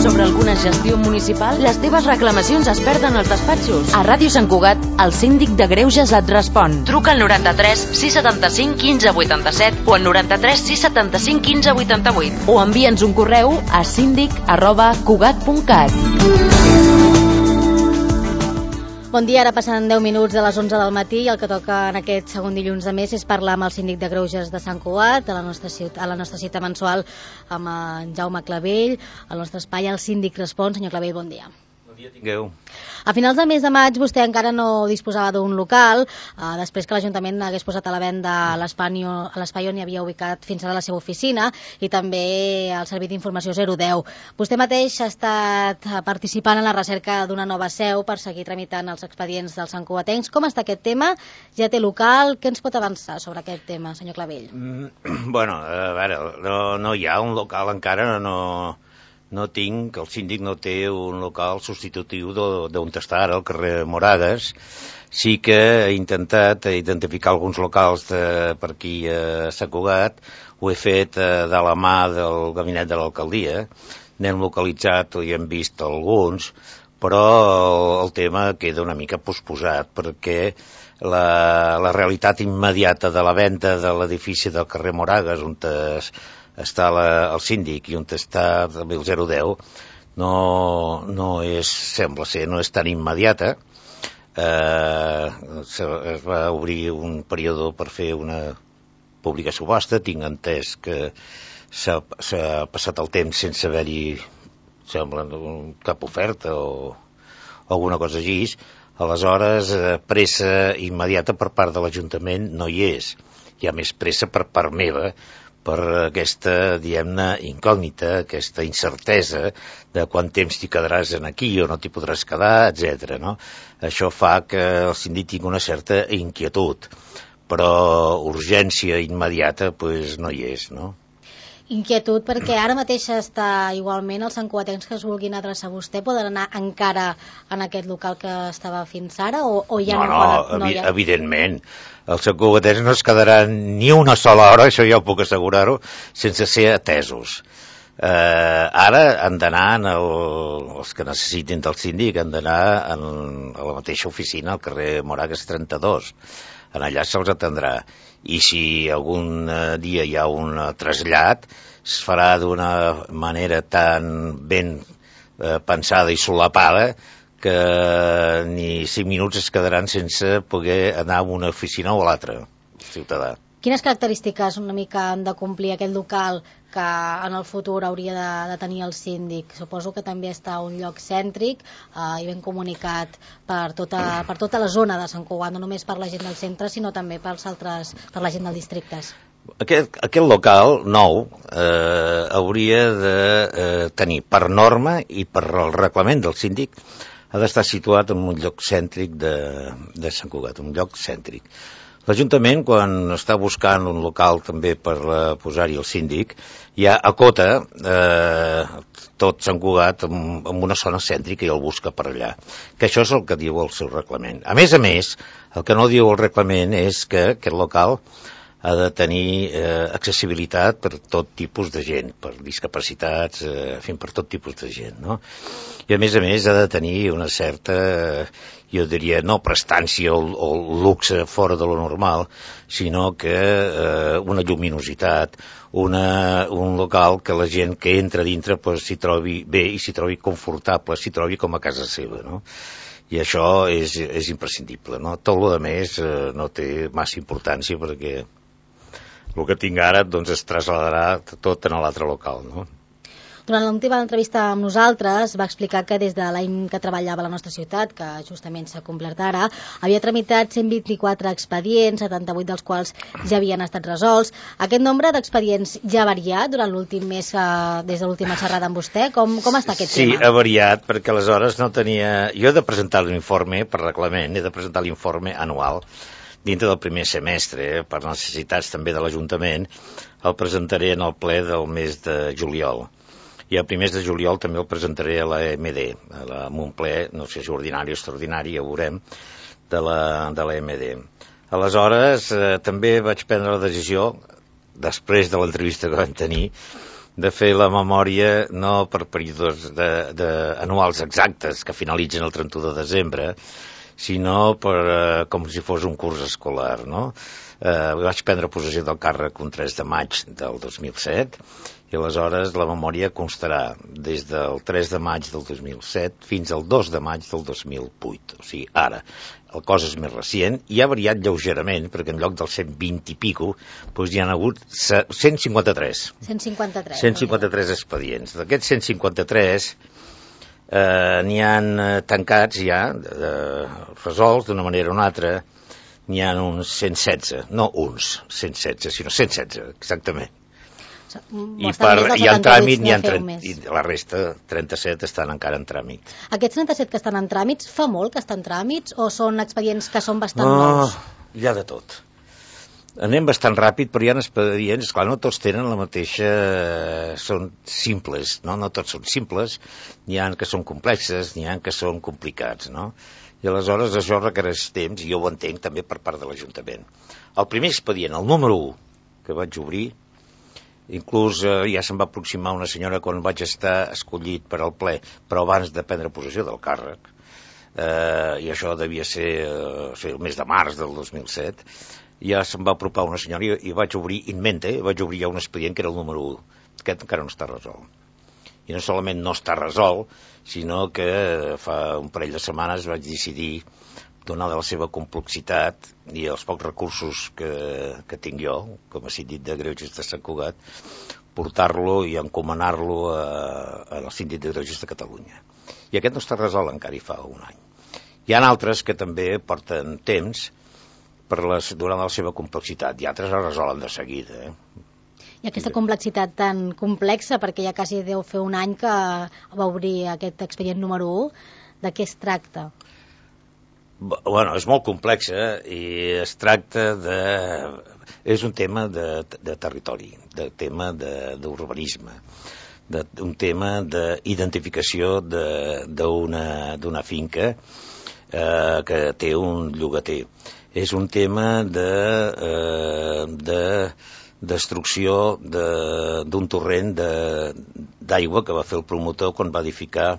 sobre alguna gestió municipal? Les teves reclamacions es perden als despatxos. A Ràdio Sant Cugat, el síndic de Greuges et respon. Truca al 93 675 15 87 o al 93 675 15 88 o envia'ns un correu a síndic@cugat.cat. Bon dia, ara passen 10 minuts de les 11 del matí i el que toca en aquest segon dilluns de mes és parlar amb el síndic de Greuges de Sant Cugat, a la nostra cita mensual amb en Jaume Clavell, al nostre espai El Síndic Respon. Senyor Clavell, bon dia. Bon dia, tingueu. A finals del mes de maig vostè encara no disposava d'un local, després que l'Ajuntament hagués posat a la venda l'espai on hi havia ubicat fins ara la seva oficina i també el servei d'informació 010. Vostè mateix ha estat participant en la recerca d'una nova seu per seguir tramitant els expedients dels santcugatencs. Com està aquest tema? Ja té local? Què ens pot avançar sobre aquest tema, senyor Clavell? Bueno, a veure, no hi ha un local encara, no tinc, el síndic no té un local substitutiu d'on està ara, al carrer Moragues. Sí que he intentat identificar alguns locals per aquí a Sant Cugat, ho he fet de la mà del gabinet de l'alcaldia, n'hem localitzat i hem vist alguns, però el tema queda una mica posposat, perquè la realitat immediata de la venda de l'edifici del carrer Moragues, on està el síndic i on està també el 010, no és, sembla ser, no és tan immediata. Es va obrir un període per fer una pública subhasta, tinc entès que s'ha passat el temps sense haver-hi, sembla, cap oferta o alguna cosa així. Aleshores, pressa immediata per part de l'Ajuntament no hi és. Hi ha més pressa per part meva, per aquesta, diguem-ne, incògnita, aquesta incertesa de quant temps t'hi quedaràs aquí o no t'hi podràs quedar, etc. No? Això fa que el síndic tingui una certa inquietud, però urgència immediata pues, no hi és, no? Inquietud perquè ara mateix està igualment els santcugatencs que es vulguin adreçar a vostè poden anar encara en aquest local que estava fins ara o ja no, evidentment. Els santcugatencs no es quedaran ni una sola hora, això ja ho puc assegurar-ho, sense ser atesos. Ara han d'anar, els que necessitin del síndic, han d'anar a la mateixa oficina, al carrer Moragues 32. En allà se'ls atendrà. I si algun dia hi ha un trasllat, es farà d'una manera tan ben pensada i solapada que ni 5 minuts es quedaran sense poder anar a una oficina o a l'altra, ciutadà. Quines característiques una mica han de complir aquest local que en el futur hauria de tenir el síndic? Suposo que també està a un lloc cèntric i ben comunicat per tota la zona de Sant Cugat, no només per la gent del centre, sinó també per la gent dels districtes. Aquest local nou hauria de tenir per norma i per el reglament del síndic ha d'estar situat en un lloc cèntric de Sant Cugat, un lloc cèntric. L'Ajuntament, quan està buscant un local també per posar-hi el síndic, ja acota tot Sant Cugat en una zona cèntrica i el busca per allà. Que això és el que diu el seu reglament. A més, el que no diu el reglament és que aquest local ha de tenir accessibilitat per tot tipus de gent, per discapacitats, per tot tipus de gent, no? I a més ha de tenir una certa, jo diria, no prestància o luxe fora de lo normal, sinó que una lluminositat, un local que la gent que entra dintre s'hi trobi bé i s'hi trobi confortable, s'hi trobi com a casa seva, no? I això és imprescindible, no? Tot el més no té massa importància perquè el que tinc ara doncs, es traslladarà tot en l'altre local, no? Durant l'última entrevista amb nosaltres va explicar que des de l'any que treballava a la nostra ciutat, que justament s'ha complert ara, havia tramitat 124 expedients, 78 dels quals ja havien estat resolts. Aquest nombre d'expedients ja ha variat durant l'últim mes, des de l'última xerrada amb vostè? Com està aquest tema? Sí, ha variat, perquè aleshores no tenia... Jo he de presentar l'informe per reglament, he de presentar l'informe anual dintre del primer semestre, per necessitats també de l'Ajuntament, el presentaré en el ple del mes de juliol. I a primers de juliol també el presentaré a l'AMD, en un ple, no sé si ordinari o extraordinari, ja ho veurem, de l'AMD. Aleshores, també vaig prendre la decisió, després de l'entrevista que vam tenir, de fer la memòria no per períodes anuals exactes que finalitzen el 31 de desembre, sinó com si fos un curs escolar, no? Vaig prendre possessió del càrrec un 3 de maig del 2007 i aleshores la memòria constarà des del 3 de maig del 2007 fins al 2 de maig del 2008. O sigui, ara, el cos és més recient i ha variat lleugerament, perquè en lloc dels 120 i pico, doncs hi ha hagut 153. 153 expedients. D'aquests 153 n'hi han tancats ja, resolts d'una manera o una altra, n'hi ha uns 116, no uns 116, sinó 116, exactament. I en tràmit n'hi ha i la resta, 37, estan encara en tràmit. Aquests 37 que estan en tràmits, fa molt que estan en tràmits o són expedients que són bastant nous? Hi ha de tot. Anem bastant ràpid, però hi ha expedients, esclar, no tots tenen la mateixa... són simples, no tots són simples, n'hi ha que són complexes, n'hi ha que són complicats, no? I aleshores això requereix temps, i jo ho entenc també per part de l'Ajuntament. El primer expedient, el número 1, que vaig obrir, inclús ja se'm va aproximar una senyora quan vaig estar escollit per al ple, però abans de prendre possessió del càrrec, i això devia ser el mes de març del 2007, ja se'm va apropar una senyora i vaig obrir in mente, vaig obrir ja un expedient que era el número 1. Aquest encara no està resolt. I no solament no està resolt, sinó que fa un parell de setmanes vaig decidir, donada la seva complexitat i els pocs recursos que tinc jo, com a síndic de Greuges de Sant Cugat, portar-lo i encomanar-lo al síndic de Greuges de Catalunya. I aquest no està resolt encara i fa un any. Hi ha altres que també porten temps donant la seva complexitat, i altres es resolen de seguida. I aquesta complexitat tan complexa, perquè ja quasi deu fer un any que va obrir aquest expedient número 1, de què es tracta? Bueno, és molt complexa i es tracta de... És un tema de territori, de tema d'urbanisme, un tema d'identificació d'una finca que té un llogater. És un tema de destrucció d'un torrent d'aigua que va fer el promotor quan va edificar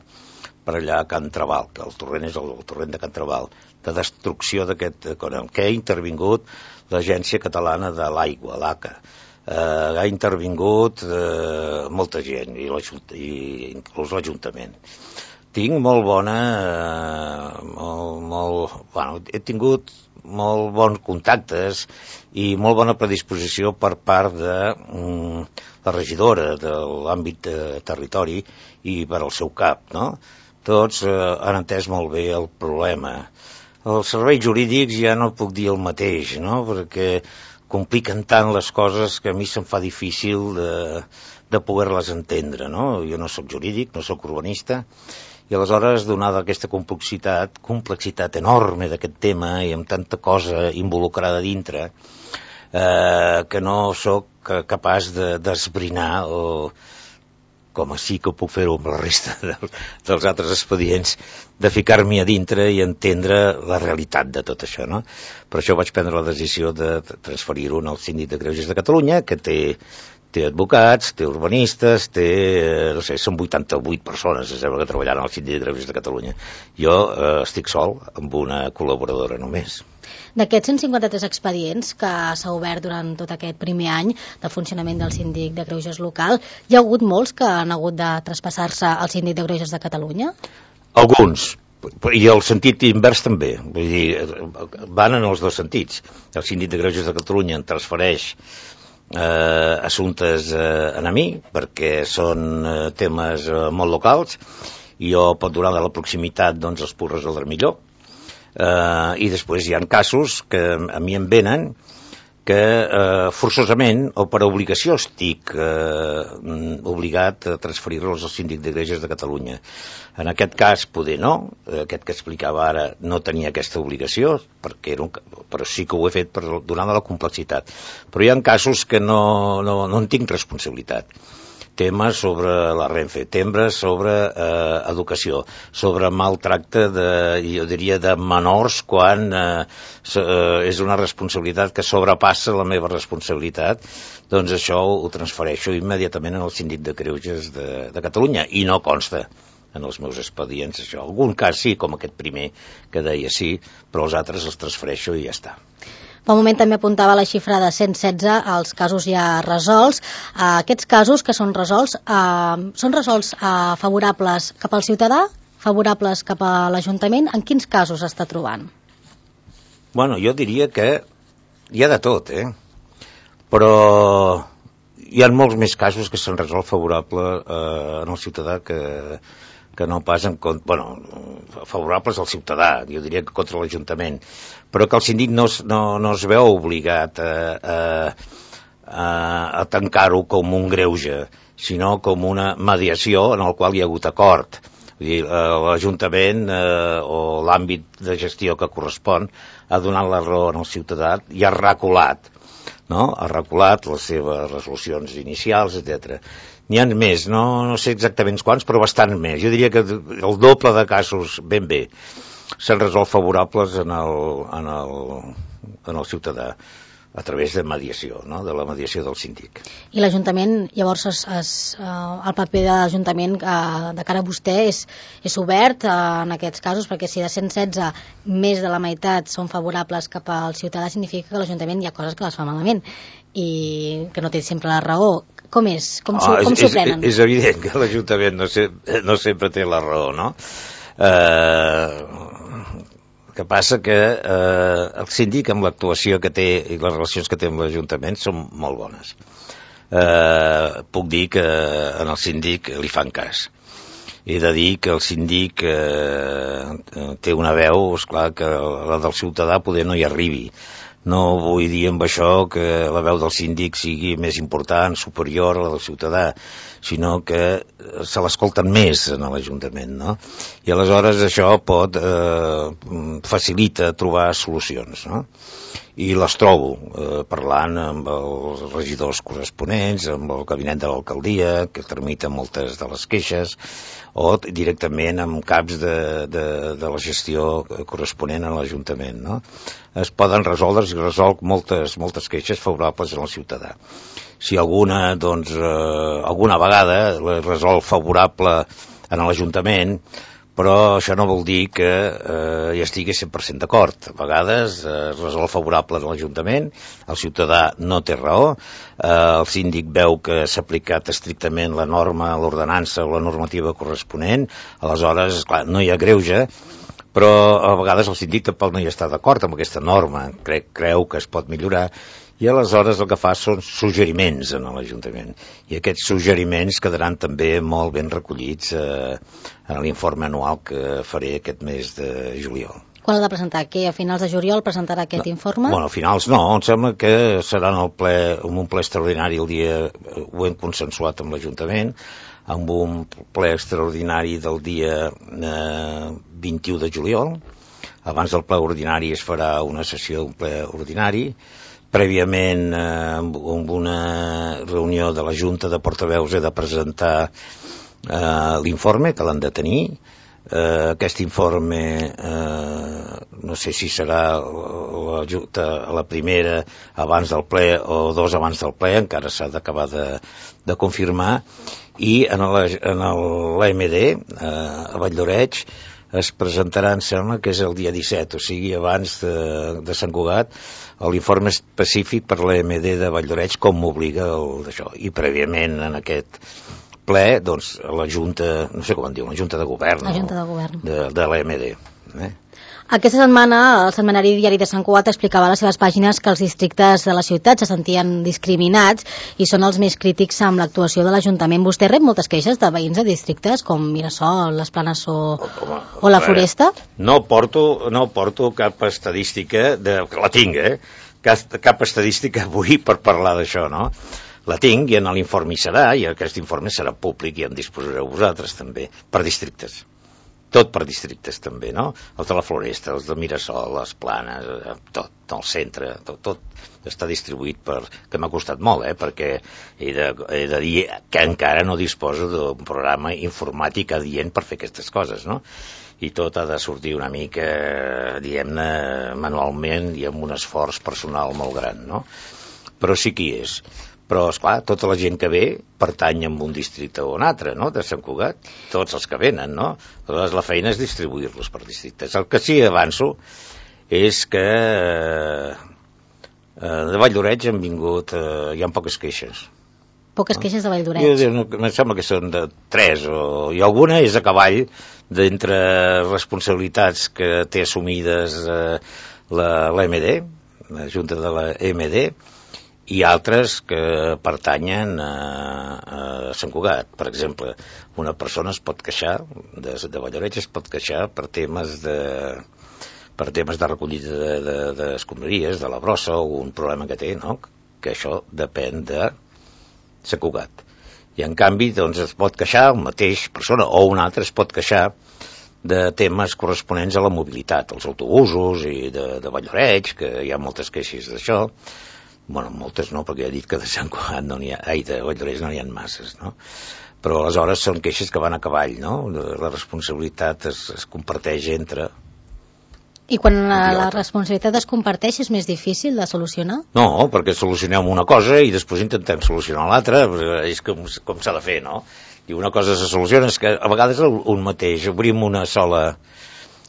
per allà a Can Trabal, que el torrent és el torrent de Can Trabal, de destrucció d'aquest que ha intervingut l'Agència Catalana de l'Aigua, l'ACA. Ha intervingut molta gent, i inclús l'Ajuntament. Tinc molt bona... he tingut molt bons contactes i molt bona predisposició per part de la regidora de l'àmbit de territori i per al seu cap, no? Tots han entès molt bé el problema. Els serveis jurídics ja no puc dir el mateix, no? Perquè compliquen tant les coses que a mi se'm fa difícil de poder-les entendre, no? Jo no sóc jurídic, no sóc urbanista, i aleshores, donada aquesta complexitat enorme d'aquest tema i amb tanta cosa involucrada dintre, que no sóc capaç d'esbrinar o com sí que puc fer-ho amb la resta dels altres expedients, de ficar-m'hi a dintre i entendre la realitat de tot això, no? Per això vaig prendre la decisió de transferir-ho al Síndic de Greuges de Catalunya, que té advocats, té urbanistes, no sé, són 88 persones, sembla, que treballen al Síndic de Greuges de Catalunya. Jo estic sol amb una col·laboradora només. D'aquests 153 expedients que s'ha obert durant tot aquest primer any de funcionament del Síndic de Greuges local, hi ha hagut molts que han hagut de traspassar-se al Síndic de Greuges de Catalunya? Alguns, i el sentit invers també. Vull dir, van en els dos sentits. El Síndic de Greuges de Catalunya en transfereix assumptes a mi, perquè són temes molt locals, i jo, donada la proximitat, doncs els puc resoldre millor. I després hi ha casos que a mi em venen que forçosament o per obligació estic obligat a transferir-los al Síndic de Greuges de Catalunya. En aquest cas, poder no, aquest que explicava ara no tenia aquesta obligació, però sí que ho he fet donant la complexitat. Però hi ha casos que no en tinc responsabilitat. temes sobre la Renfe, temes sobre educació, sobre maltracte jo diria, de menors quan és una responsabilitat que sobrepassa la meva responsabilitat, doncs això ho transfereixo immediatament al Síndic de Greuges de Catalunya, i no consta en els meus expedients això. Algun cas sí, com aquest primer que deia sí, però els altres els transfereixo i ja està. Fa un moment també apuntava la xifra de 116 als casos ja resolts. Aquests casos que són resolts favorables cap al ciutadà, favorables cap a l'Ajuntament? En quins casos està trobant? Bueno, jo diria que hi ha de tot, però hi ha molts més casos que s'han resolt favorable en el ciutadà que no pas favorables al ciutadà, jo diria que contra l'Ajuntament, però que el síndic no es veu obligat a tancar-ho com un greuge, sinó com una mediació en el qual hi ha hagut acord. Vull dir, l'Ajuntament o l'àmbit de gestió que correspon ha donat la raó al ciutadà i ha reculat, no? Ha reculat les seves resolucions inicials, etc. N'hi ha més, no sé exactament quants, però bastant més. Jo diria que el doble de casos, ben bé, s'han resolt favorables en el ciutadà a través de mediació, no? De la mediació del síndic. I l'Ajuntament, llavors, el paper de l'Ajuntament de cara a vostè és obert en aquests casos, perquè si de 116 més de la meitat són favorables cap al ciutadà, significa que l'Ajuntament hi ha coses que les fa malament i que no té sempre la raó. Com és? Com s'ho prenen? És evident que l'Ajuntament no sempre té la raó, no? El que passa que el síndic, amb l'actuació que té i les relacions que té amb l'Ajuntament, són molt bones. Puc dir que en el síndic li fan cas. He de dir que el síndic té una veu, esclar, que la del ciutadà poder no hi arribi. No vull dir amb això que la veu del síndic sigui més important, superior a la del ciutadà, sinó que se l'escolten més en l'Ajuntament, no? I aleshores això facilita trobar solucions, no? I les trobo parlant amb els regidors corresponents, amb el gabinet de l'alcaldia, que tramita moltes de les queixes, o directament amb caps de la gestió corresponent a l'Ajuntament, no? Es poden resoldre, es resol moltes queixes favorables al ciutadà. Si alguna vegada la resol favorable en l'Ajuntament, però això no vol dir que hi estigui 100% d'acord. A vegades es resol favorable a l'Ajuntament, el ciutadà no té raó, el síndic veu que s'ha aplicat estrictament la norma, l'ordenança o la normativa corresponent, aleshores, esclar, no hi ha greuge, però a vegades el síndic tampoc no hi està d'acord amb aquesta norma, creu que es pot millorar, i aleshores el que fa són suggeriments en l'Ajuntament. I aquests suggeriments quedaran també molt ben recollits en l'informe anual que faré aquest mes de juliol. Quan l'ha de presentar? Que a finals de juliol presentarà aquest informe? Bueno, a finals no, em sembla que serà en un ple extraordinari el dia, ho hem consensuat amb l'Ajuntament, amb un ple extraordinari del dia 21 de juliol. Abans del ple ordinari es farà una sessió d'un ple ordinari. Prèviament, amb una reunió de la Junta de Portaveus, he de presentar l'informe, que l'han de tenir. Aquest informe, no sé si serà la primera abans del ple o dos abans del ple, encara s'ha d'acabar de confirmar. I en l'AMD, a Vall-lloreig, es presentarà, em sembla que és el dia 17, o sigui, abans de Sant Cugat, l'informe específic per l'AMD de Vall-lloreig, com m'obliga d'això. I prèviament en aquest ple, doncs, la Junta, no sé com en diu, la Junta de Govern, de l'AMD. Aquesta setmana, el setmanari Diari de Sant Cugat explicava a les seves pàgines que els districtes de la ciutat se sentien discriminats i són els més crítics amb l'actuació de l'Ajuntament. Vostè rep moltes queixes de veïns de districtes com Mirasol, les Planes o la Foresta? No porto cap estadística, la tinc, cap estadística avui per parlar d'això, no? La tinc i en l'informe hi serà, i aquest informe serà públic i en disposareu vosaltres també, per districtes. tot per districtes també, no? Els de la Floresta, els de Mirasol, les Planes, tot, el centre, tot està distribuït que m'ha costat molt, perquè he de dir que encara no disposo d'un programa informàtic adient per fer aquestes coses, no? I tot ha de sortir una mica, diguem-ne, manualment i amb un esforç personal molt gran, no? Però sí que hi és. Però, esclar, tota la gent que ve pertany a un districte o un altre, no?, de Sant Cugat, tots els que venen, no? Aleshores, la feina és distribuir-los per districtes. El que sí avanço és que de Vall-d'Oreig han vingut, hi ha poques queixes. Poques queixes de Vall-d'Oreig? Em sembla que són de 3, i alguna és a cavall d'entre responsabilitats que té assumides l'EMD, la Junta de la EMD, i altres que pertanyen a Sant Cugat. Per exemple, una persona es pot queixar, de Vall-d'Oreig es pot queixar per temes de recollida d'escombraries, de la brossa, o un problema que té, no?, que això depèn de Sant Cugat. I en canvi, doncs, es pot queixar una mateixa persona o una altra es pot queixar de temes corresponents a la mobilitat, els autobusos i de Vall-d'Oreig, que hi ha moltes queixes d'això. Bueno, moltes no, perquè he dit que de Sant Cugat no n'hi ha, de Vall-d'Oreig no n'hi ha masses, no? Però aleshores són queixes que van a cavall, no? La responsabilitat es comparteix entre... I quan la responsabilitat es comparteix és més difícil de solucionar? No, perquè solucionem una cosa i després intentem solucionar l'altra, és com s'ha de fer, no? I una cosa se soluciona, és que a vegades un mateix, obrim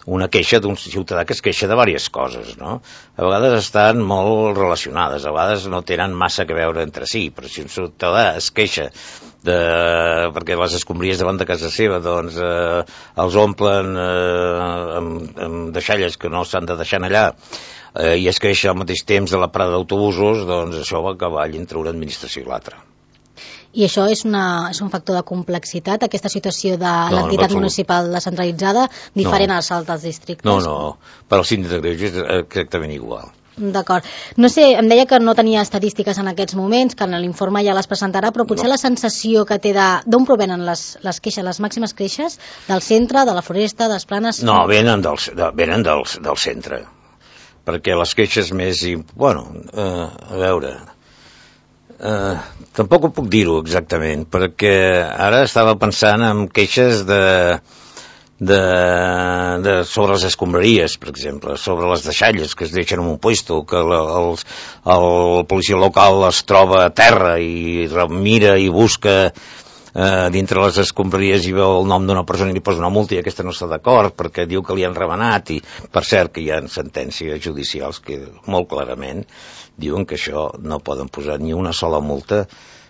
una queixa d'un ciutadà que es queixa de diverses coses, no? A vegades estan molt relacionades, a vegades no tenen massa a veure entre si, però si un ciutadà es queixa perquè les escombraries davant de casa seva doncs els omplen amb deixalles que no s'han de deixar allà, i es queixa al mateix temps de la parada d'autobusos, doncs això va a cavall entre una administració i l'altra. I això és un factor de complexitat, aquesta situació de l'entitat municipal descentralitzada, diferent als altres districtes? No, per al síndic de Greuges és exactament igual. D'acord. No sé, em deia que no tenia estadístiques en aquests moments, que en l'informe ja les presentarà, però potser la sensació que té d'on provenen les queixes, les màximes queixes, del centre, de la Floresta, de les Planes... No, venen del centre, perquè les queixes més... Bueno, a veure... tampoc ho puc dir-ho exactament, perquè ara estava pensant en queixes sobre les escombraries, per exemple, sobre les deixalles que es deixen en un puesto, que el policia local les troba a terra i mira i busca dintre les escombraries i veu el nom d'una persona i li posa una multa i aquesta no està d'acord perquè diu que li han remenat, i per cert que hi ha sentències judicials que molt clarament diuen que això no poden posar ni una sola multa.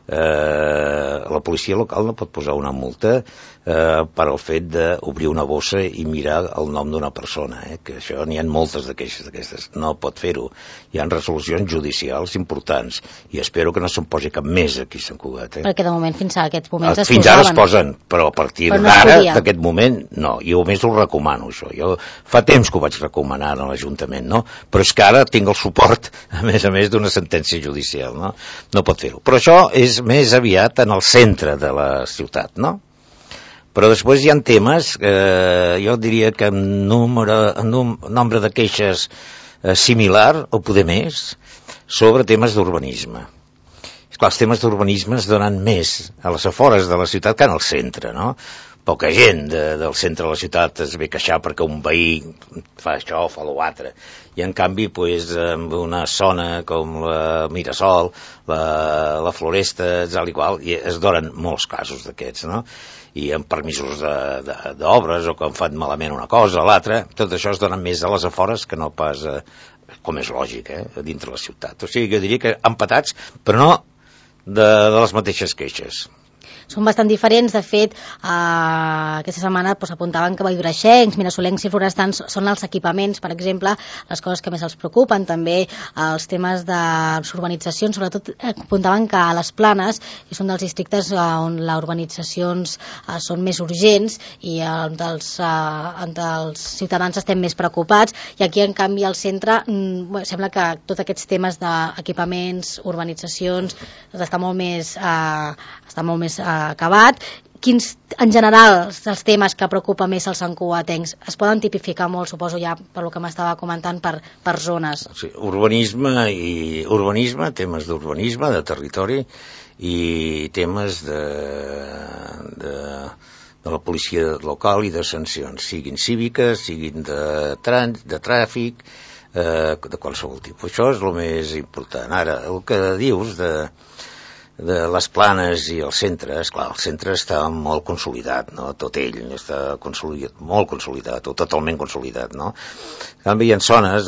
La policia local no pot posar una multa per al fet d'obrir una bossa i mirar el nom d'una persona, que això n'hi ha moltes de queixes d'aquestes, no pot fer-ho. Hi ha resolucions judicials importants i espero que no se'n posi cap més aquí a Sant Cugat. Perquè de moment fins a aquests moments es fins ara es posen, però a partir d'ara, d'aquest moment, no. Jo a més ho recomano, això. Jo fa temps que ho vaig recomanar a l'Ajuntament, no? Però és que ara tinc el suport, a més d'una sentència judicial, no? No pot fer-ho. Però això és més aviat en el centre de la ciutat, no? Però després hi ha temes que jo diria que en nombre de queixes similar, o poder més, sobre temes d'urbanisme. Esclar, els temes d'urbanisme es donen més a les afores de la ciutat que en el centre, no? Poca gent del centre de la ciutat es ve queixar perquè un veí fa això o fa l'altre. I en canvi, en una zona com la Mirasol, la Floresta, tal i qual, es donen molts casos d'aquests, no? I amb permisos d'obres o que han fet malament una cosa o l'altra, tot això es dona més a les afores que no pas, com és lògic, dintre la ciutat. O sigui, jo diria que empatats, però no de les mateixes queixes. Són bastant diferents, de fet, aquesta setmana apuntaven que valldoraixencs, mirasolencs i florestans són els equipaments, per exemple, les coses que més els preocupen, també els temes de les urbanitzacions, sobretot apuntaven que a les Planes és un dels districtes on les urbanitzacions són més urgents i on els ciutadans estem més preocupats, i aquí en canvi al centre sembla que tots aquests temes d'equipaments, urbanitzacions està molt més acabat, quins, en general, els temes que preocupa més els santcugatencs es poden tipificar molt, suposo ja per lo que m'estava comentant, per zones. Sí, urbanisme, temes d'urbanisme, de territori, i temes de la policia local i de sancions, siguin cíviques, siguin de tràfic, de qualsevol tipus. Això és el més important. Ara, el que dius de les planes i els centres, clar, el centre està molt consolidat, no? Tot ell està molt consolidat, o totalment consolidat, no? En canvi, hi ha zones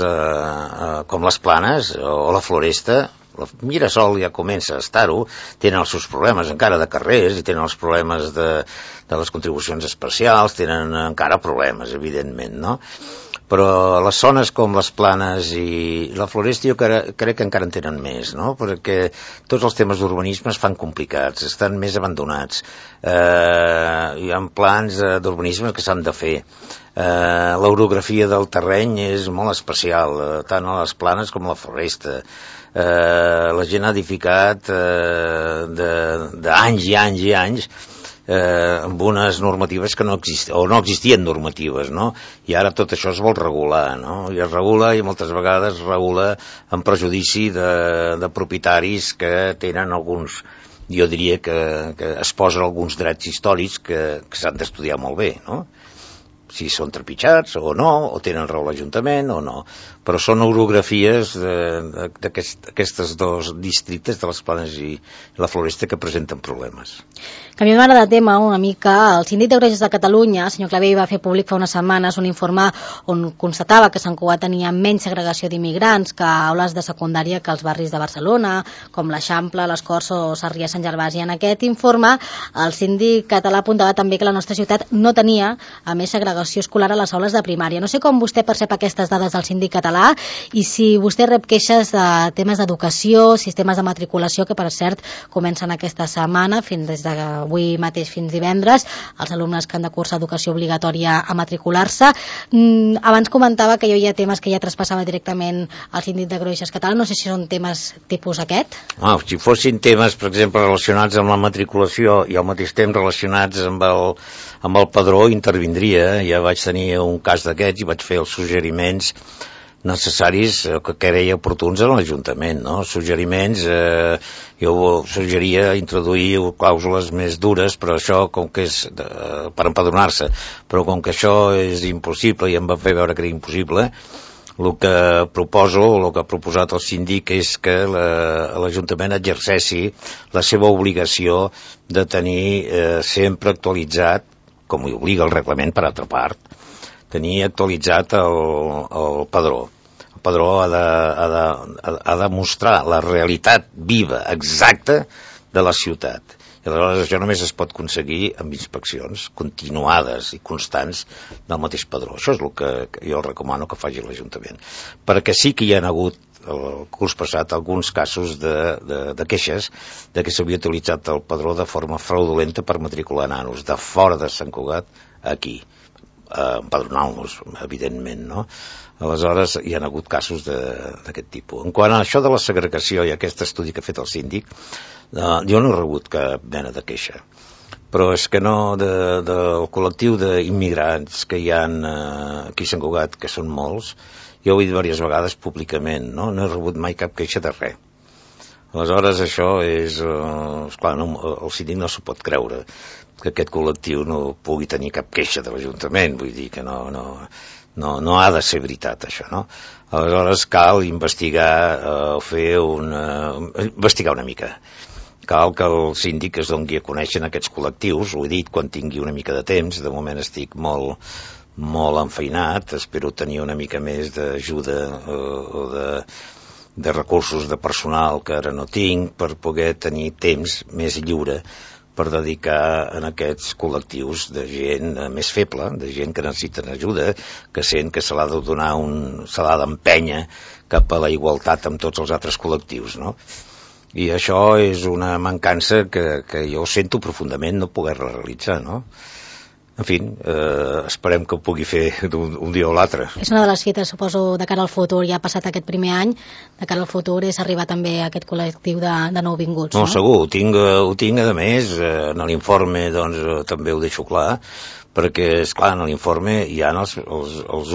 com les planes o la Floresta. Mirasol ja comença a estar-ho, tenen els seus problemes encara de carrers i tenen els problemes de les contribucions especials, tenen encara problemes, evidentment, no? Però les zones com les Planes i la Floresta jo crec que encara en tenen més, no? Perquè tots els temes d'urbanisme es fan complicats, estan més abandonats. Hi ha plans d'urbanisme que s'han de fer. L'orografia del terreny és molt especial, tant a les Planes com a la Floresta. La gent ha edificat d'anys i anys i anys amb unes normatives que no existien normatives, no? I ara tot això es vol regular, no? I es regula, i moltes vegades es regula en prejudici de propietaris que tenen alguns, jo diria que es posen alguns drets històrics que s'han d'estudiar molt bé, no? Si són trepitjats o no, o tenen raó l'Ajuntament o no, però són orografies d'aquestes dos districtes de les Planes i la Floresta que presenten problemes. Canviem ara de tema una mica. El síndic de Greuges de Catalunya, el senyor Clavell, va fer públic fa unes setmanes un informe on constatava que Sant Cugat tenia menys segregació d'immigrants que aules de secundària que els barris de Barcelona, com l'Eixample, les Corts o Sarrià Sant Gervasi. En aquest informe, el síndic català apuntava també que la nostra ciutat no tenia, a més, segregació escolar a les aules de primària. No sé com vostè percep aquestes dades del síndic català i si vostè rep queixes de temes d'educació, sistemes de matriculació, que per cert comencen aquesta setmana, des d'avui mateix fins divendres, els alumnes que han de cursar educació obligatòria a matricular-se. Abans comentava que hi havia temes que ja traspassava directament al síndic de Greuges català. No sé si són temes tipus aquest. Si fossin temes, per exemple, relacionats amb la matriculació i al mateix temps relacionats amb el padró, intervindria. Ja vaig tenir un cas d'aquests i vaig fer els suggeriments necessaris que creia oportuns a l'Ajuntament, no? Suggeriments, jo suggeria introduir clàusules més dures, però això com que és per empadronar-se, però com que això és impossible i em va fer veure que era impossible, el que proposo, el que ha proposat el síndic és que l'Ajuntament exerceixi la seva obligació de tenir sempre actualitzat, com hi obliga el reglament per altra part, tenir actualitzat el padró. El padró ha de mostrar la realitat viva, exacta, de la ciutat. I aleshores això només es pot aconseguir amb inspeccions continuades i constants del mateix padró. Això és el que jo recomano que faci l'Ajuntament. Perquè sí que hi ha hagut el curs passat alguns casos de queixes de que s'havia utilitzat el padró de forma fraudulenta per matricular nanos de fora de Sant Cugat aquí, empadronant-los, evidentment, no? Aleshores hi ha hagut casos d'aquest tipus. En quant a això de la segregació i aquest estudi que ha fet el síndic, jo no he rebut cap mena de queixa, però és que no del col·lectiu d'immigrants que hi ha aquí a Sant Cugat, que són molts, jo ho he dit diverses vegades públicament, no he rebut mai cap queixa de res. Aleshores això és clar, el síndic no s'ho pot creure, que aquest col·lectiu no pugui tenir cap queixa de l'Ajuntament, vull dir que no ha de ser veritat això, no? Aleshores cal investigar, investigar una mica. Cal que el síndic es doni a conèixer aquests col·lectius, ho he dit quan tingui una mica de temps, de moment estic molt enfeinat, espero tenir una mica més d'ajuda o de recursos de personal que ara no tinc per poder tenir temps més lliure per dedicar en aquests col·lectius de gent més feble, de gent que necessiten ajuda, que sent que se l'ha de donar se l'ha d'empènyer cap a la igualtat amb tots els altres col·lectius, no? I això és una mancança que jo sento profundament no poder realitzar, no? En fi, esperem que ho pugui fer un dia o l'altre. És una de les fites, suposo, de cara al futur. Ja ha passat aquest primer any, de cara al futur és arribar també a aquest col·lectiu de nouvinguts. No, segur, ho tinc a més, en l'informe doncs, també ho deixo clar, perquè, esclar, en l'informe hi ha els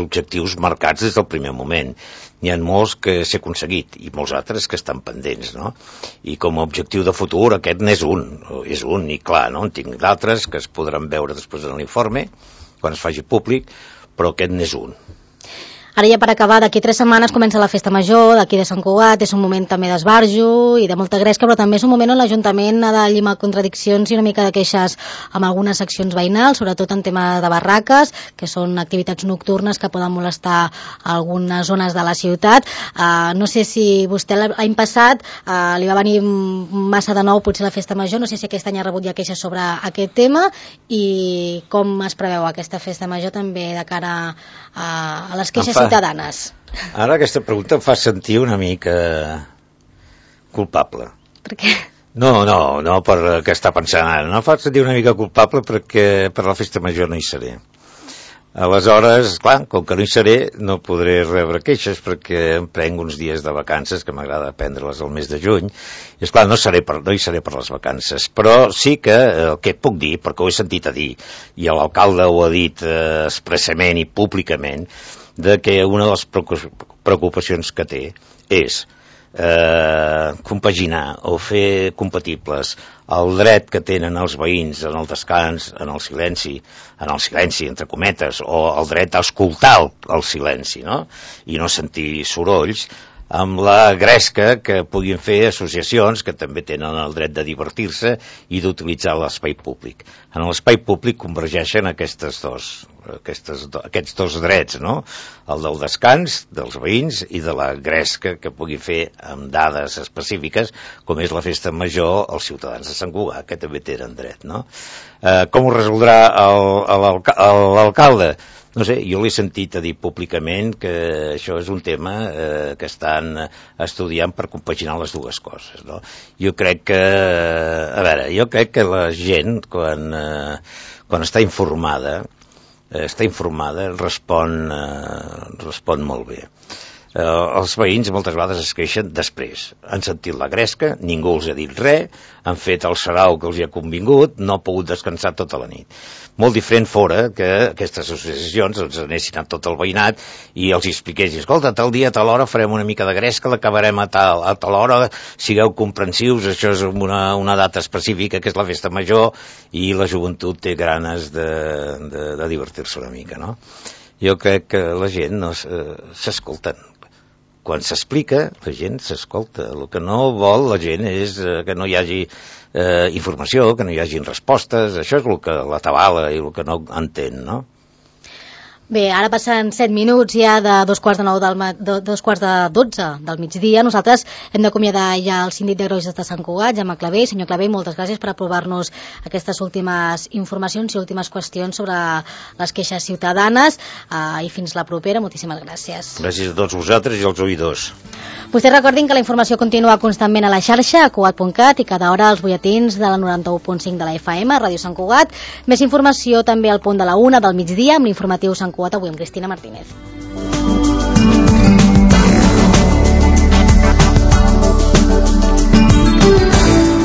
objectius marcats des del primer moment. N'hi ha molts que s'ha aconseguit i molts altres que estan pendents, no? I com a objectiu de futur aquest n'és un, i clar, no? En tinc d'altres que es podran veure després en l'informe, quan es faci públic, però aquest n'és un. Ara ja per acabar, d'aquí 3 setmanes comença la festa major, d'aquí de Sant Cugat, és un moment també d'esbarjo i de molta gresca, però també és un moment on l'Ajuntament ha de llimar contradiccions i una mica de queixes amb algunes seccions veïnals, sobretot en tema de barraques, que són activitats nocturnes que poden molestar algunes zones de la ciutat. No sé si vostè l'any passat li va venir massa de nou potser la festa major, no sé si aquest any ha rebut ja queixes sobre aquest tema i com es preveu aquesta festa major també de cara a les queixes ciutadanes. Ara aquesta pregunta em fa sentir una mica culpable. Per què? No per què està pensant ara. No em fa sentir una mica culpable perquè per la festa major no hi seré. Aleshores, clar, com que no hi seré, no podré rebre queixes perquè em prenc uns dies de vacances, que m'agrada prendre-les al mes de juny, i esclar, no hi seré per les vacances, però sí que el que puc dir, perquè ho he sentit a dir, i l'alcalde ho ha dit expressament i públicament, de que una de les preocupacions que té és compaginar o fer compatibles el dret que tenen els veïns en el descans, en el silenci, entre cometes, o el dret a escoltar el silenci, no? I no sentir sorolls, amb la gresca que puguin fer associacions que també tenen el dret de divertir-se i d'utilitzar l'espai públic. En l'espai públic convergeixen aquests dos drets, no? El del descans dels veïns i de la gresca que pugui fer amb dades específiques, com és la festa major, els ciutadans de Sant Cugat, que també tenen dret, no? Com ho resoldrà l'alcalde? No sé, jo l'he sentit a dir públicament que això és un tema que estan estudiant per compaginar les dues coses, no? Jo crec que la gent, quan està informada, respon molt bé. Els veïns moltes vegades es queixen després. Han sentit la gresca, ningú els ha dit res, han fet el sarau que els hi ha convingut, no ha pogut descansar tota la nit. Molt diferent fora que aquestes associacions els anessin a tot el veïnat i els expliquessin, escolta, tal dia, a tal hora farem una mica de gresca, l'acabarem a tal hora, sigueu comprensius, això és una data específica que és la festa major i la joventut té ganes de divertir-se una mica, no? Jo crec que la gent s'escolten. Quan s'explica, la gent s'escolta. El que no vol la gent és que no hi hagi informació, que no hi hagin respostes. Això és el que l'atabala i el que no entén, no? Bé, ara passen 7 minuts ja de 11:45 del migdia. Nosaltres hem d'acomiadar ja el síndic de Greuges de Sant Cugat, Jaume Clavé. Senyor Clavé, moltes gràcies per aprovar-nos aquestes últimes informacions i últimes qüestions sobre les queixes ciutadanes. I fins la propera, moltíssimes gràcies. Gràcies a tots vosaltres i als oïdors. Vostès recordin que la informació continua constantment a la xarxa, a cugat.cat, i cada hora als butlletins de la 91.5 de la FM, Ràdio Sant Cugat. Més informació també al punt de la 1 del migdia amb l'informatiu Sant Cugat avui amb Cristina Martínez.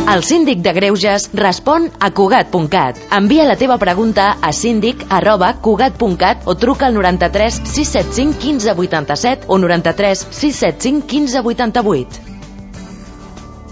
El síndic de Greuges respon a cugat.cat. Envia la teva pregunta a síndic@cugat.cat o truca al 93 675 15 87 o 93 675 15 88.